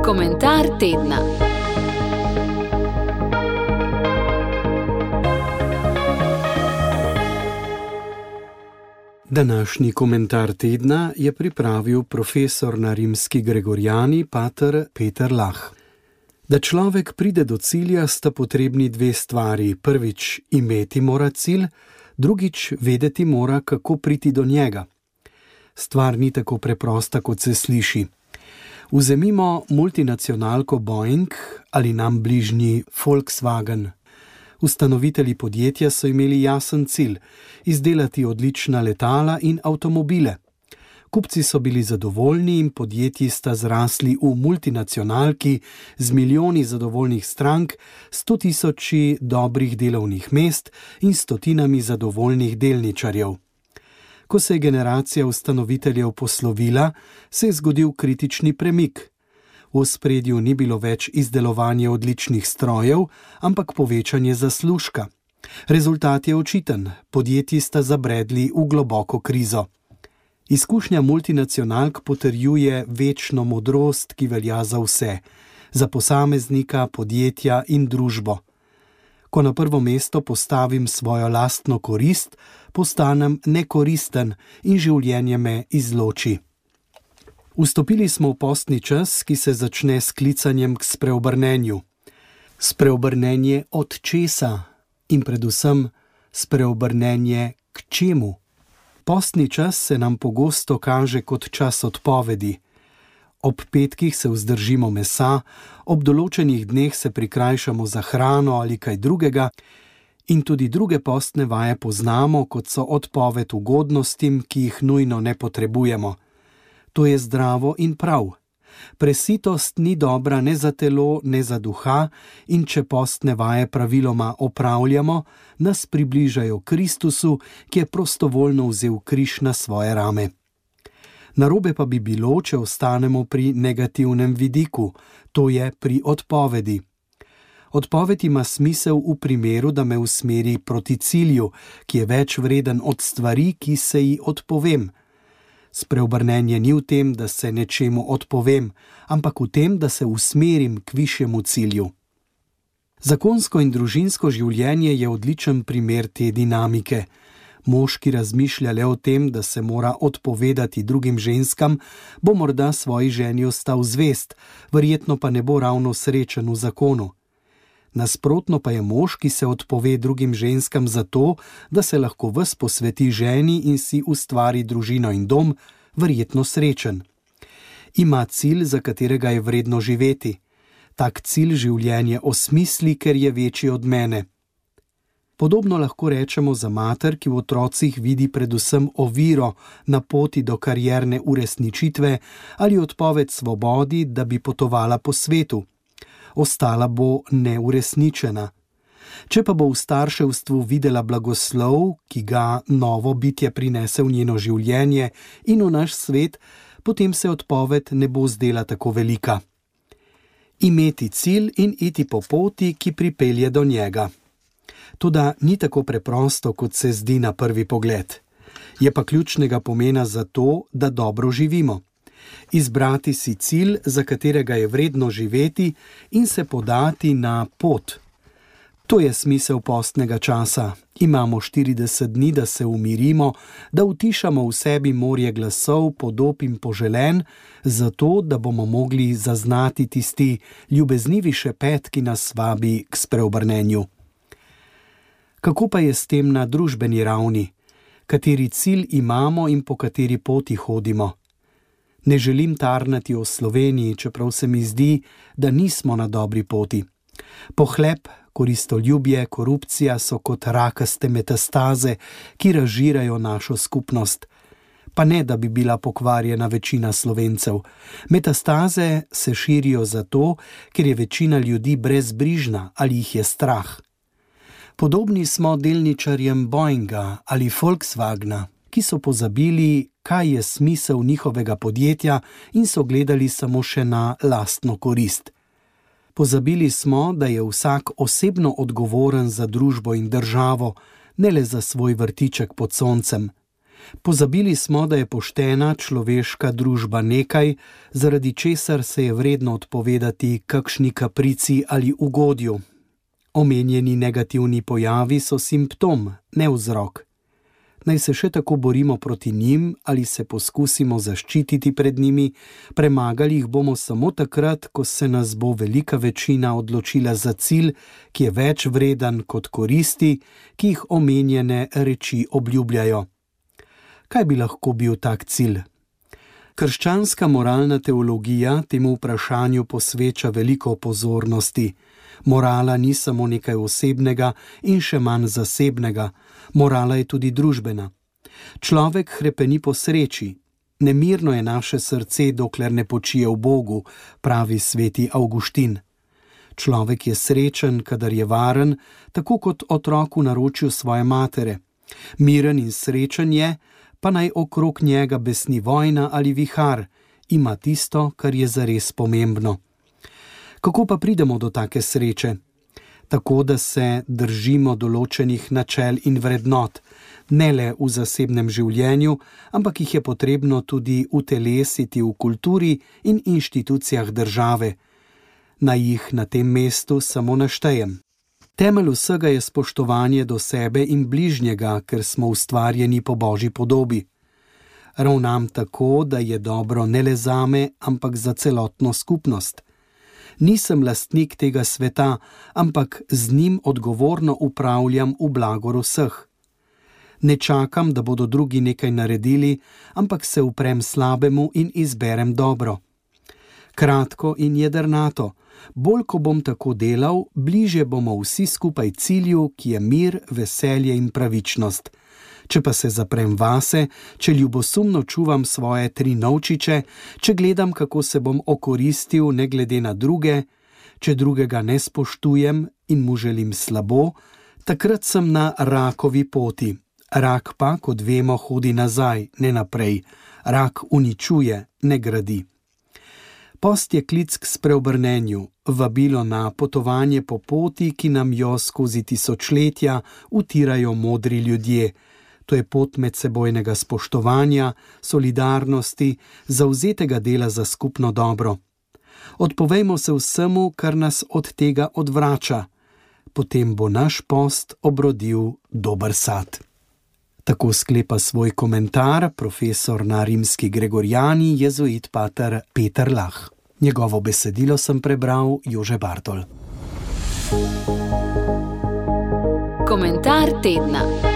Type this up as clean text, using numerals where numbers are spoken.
Komentar tedna. Današnji komentar tedna je pripravil profesor na Rimski Gregorijani, pater Peter Lah. Da človek pride do cilja, sta potrebni dve stvari. Prvič, imeti mora cilj, drugič, vedeti mora, kako priti do njega. Stvar ni tako preprosta, kot se sliši. Vzemimo multinacionalko Boeing ali nam bližnji Volkswagen. Ustanovitelji podjetja so imeli jasen cilj – izdelati odlična letala in avtomobile. Kupci so bili zadovoljni in podjetji sta zrasli v multinacionalki z milijoni zadovoljnih strank, 100 000 dobrih delovnih mest in stotinami zadovoljnih delničarjev. Ko se je generacija ustanoviteljev poslovila, se je zgodil kritični premik. V ospredju ni bilo več izdelovanje odličnih strojev, ampak povečanje zaslužka. Rezultat je očiten, podjetji sta zabredli v globoko krizo. Izkušnja multinacionalk potrjuje večno modrost, ki velja za vse, za posameznika, podjetja in družbo. Ko na prvo mesto postavim svojo lastno korist, postanem nekoristen in življenje me izloči. Vstopili smo v postni čas, ki se začne s klicanjem k spreobrnenju. Spreobrnenje od česa in predvsem spreobrnenje k čemu? Postni čas se nam pogosto kaže kot čas odpovedi. Ob petkih se vzdržimo mesa, ob določenih dneh se prikrajšamo za hrano ali kaj drugega in tudi druge postne vaje poznamo, kot so odpoved ugodnostim, ki jih nujno ne potrebujemo. To je zdravo in prav. Presitost ni dobra ne za telo, ne za duha in če postne vaje praviloma opravljamo, nas približajo Kristusu, ki je prostovoljno vzel križ na svoje rame. Narobe pa bi bilo, če ostanemo pri negativnem vidiku, to je pri odpovedi. Odpoved ima smisel v primeru, da me usmeri proti cilju, ki je več vreden od stvari, ki se ji odpovem. Spreobrnenje ni v tem, da se nečemu odpovem, ampak v tem, da se usmerim k višjemu cilju. Zakonsko in družinsko življenje je odličen primer te dinamike. Mož, ki razmišlja le o tem, da se mora odpovedati drugim ženskam, bo morda svoji ženi ostal zvest, verjetno pa ne bo ravno srečen v zakonu. Nasprotno pa je mož, ki se odpove drugim ženskam zato, da se lahko ves posveti ženi in si ustvari družino in dom, verjetno srečen. Ima cilj, za katerega je vredno živeti. Tak cilj življenje osmisli, ker je večji od mene. Podobno lahko rečemo za mater, ki v otrocih vidi predvsem oviro na poti do karierne uresničitve ali odpoved svobodi, da bi potovala po svetu. Ostala bo neuresničena. Če pa bo v starševstvu videla blagoslov, ki ga novo bitje prinese v njeno življenje in v naš svet, potem se odpoved ne bo zdela tako velika. Imeti cilj in iti po poti, ki pripelje do njega. Toda ni tako preprosto, kot se zdi na prvi pogled. Je pa ključnega pomena za to, da dobro živimo. Izbrati si cilj, za katerega je vredno živeti in se podati na pot. To je smisel postnega časa. Imamo 40 dni, da se umirimo, da utišamo v sebi morje glasov, podob in poželen, zato, da bomo mogli zaznati tisti ljubeznivi šepet, ki nas vabi k spreobrnenju. Kako pa je s tem na družbeni ravni? Kateri cilj imamo in po kateri poti hodimo? Ne želim tarnati o Sloveniji, čeprav se mi zdi, da nismo na dobri poti. Pohlep, koristoljubje, korupcija so kot rakaste metastaze, ki razžirajo našo skupnost. Pa ne, da bi bila pokvarjena večina Slovencev. Metastaze se širijo zato, ker je večina ljudi brezbrižna ali jih je strah. Podobni smo delničarjem Boeinga ali Volkswagna, ki so pozabili, kaj je smisel njihovega podjetja in so gledali samo še na lastno korist. Pozabili smo, da je vsak osebno odgovoren za družbo in državo, ne le za svoj vrtiček pod soncem. Pozabili smo, da je poštena človeška družba nekaj, zaradi česar se je vredno odpovedati kakšni kaprici ali ugodju. Omenjeni negativni pojavi so simptom, ne vzrok. Naj se še tako borimo proti njim ali se poskusimo zaščititi pred njimi, premagali jih bomo samo takrat, ko se nas bo velika večina odločila za cilj, ki je več vreden kot koristi, ki jih omenjene reči obljubljajo. Kaj bi lahko bil tak cilj? Krščanska moralna teologija temu vprašanju posveča veliko pozornosti. Morala ni samo nekaj osebnega in še manj zasebnega, morala je tudi družbena. Človek hrepeni po sreči. Nemirno je naše srce, dokler ne počije v Bogu, pravi sveti Avguštin. Človek je srečen, kadar je varen, tako kot otrok v naročju svoje matere. Miren in srečen je, pa naj okrog njega besni vojna ali vihar, ima tisto, kar je zares pomembno. Kako pa pridemo do take sreče? Tako, da se držimo določenih načel in vrednot, ne le v zasebnem življenju, ampak jih je potrebno tudi utelesiti v kulturi in inštitucijah države. Naj jih na tem mestu samo naštejem. Temelj vsega je spoštovanje do sebe in bližnjega, ker smo ustvarjeni po Božji podobi. Ravnam tako, da je dobro ne le zame, ampak za celotno skupnost. Nisem lastnik tega sveta, ampak z njim odgovorno upravljam v blagor vseh. Ne čakam, da bodo drugi nekaj naredili, ampak se uprem slabemu in izberem dobro. Kratko in jedrnato, bolj ko bom tako delal, bližje bomo vsi skupaj cilju, ki je mir, veselje in pravičnost. Če pa se zaprem vase, če ljubosumno čuvam svoje 3 novčiče, če gledam, kako se bom okoristil ne glede na druge, če drugega ne spoštujem in mu želim slabo, takrat sem na rakovi poti. Rak pa, kot vemo, hodi nazaj, ne naprej. Rak uničuje, ne gradi. Post je klic k spreobrnenju, vabilo na potovanje po poti, ki nam jo skozi tisočletja utirajo modri ljudje. To je pot medsebojnega spoštovanja, solidarnosti, zavzetega dela za skupno dobro. Odpovejmo se vsemu, kar nas od tega odvrača. Potem bo naš post obrodil dober sad. Tako sklepa svoj komentar profesor na Rimski Gregorijani, jezuit pater Peter Lah. Njegovo besedilo sem prebral Jože Bartol. Komentar tedna.